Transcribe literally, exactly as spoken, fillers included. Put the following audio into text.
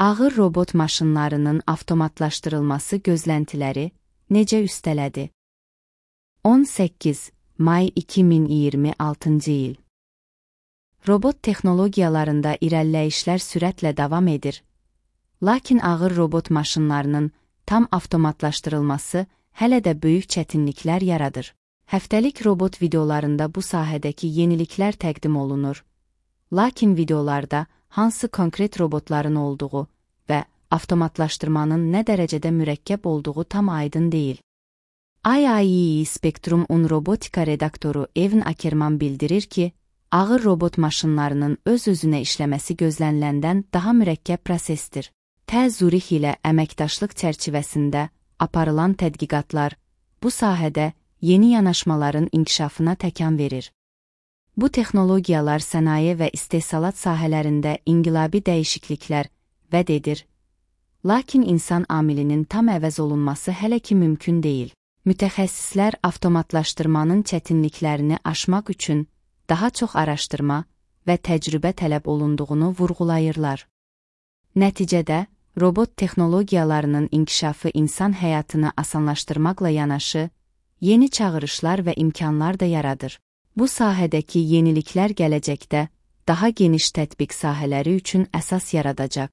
Ağır robot maşınlarının avtomatlaşdırılması gözləntiləri necə üstələdi? on səkkiz may iki min iyirmi altıncı il. Robot texnologiyalarında irəliləyişlər sürətlə davam edir. Lakin ağır robot maşınlarının tam avtomatlaşdırılması hələ də böyük çətinliklər yaradır. Həftəlik robot videolarında bu sahədəki yeniliklər təqdim olunur. Lakin videolarda hansı konkret robotların olduğu və avtomatlaşdırmanın nə dərəcədə mürəkkəb olduğu tam aydın deyil. I I E Spectrum-un robotika redaktoru Evan Ackerman bildirir ki, ağır robot maşınlarının öz-özünə işləməsi gözləniləndən daha mürəkkəb prosesdir. T Zurich ilə əməkdaşlıq çərçivəsində aparılan tədqiqatlar bu sahədə yeni yanaşmaların inkişafına təkan verir. Bu texnologiyalar sənaye və istehsalat sahələrində inqilabi dəyişikliklər vəd edir. Lakin insan amilinin tam əvəz olunması hələ ki mümkün deyil. Mütəxəssislər avtomatlaşdırmanın çətinliklərini aşmaq üçün daha çox araşdırma və təcrübə tələb olunduğunu vurğulayırlar. Nəticədə, robot texnologiyalarının inkişafı insan həyatını asanlaşdırmaqla yanaşı, yeni çağırışlar və imkanlar da yaradır. Bu sahədəki yeniliklər gələcəkdə daha geniş tətbiq sahələri üçün əsas yaradacaq.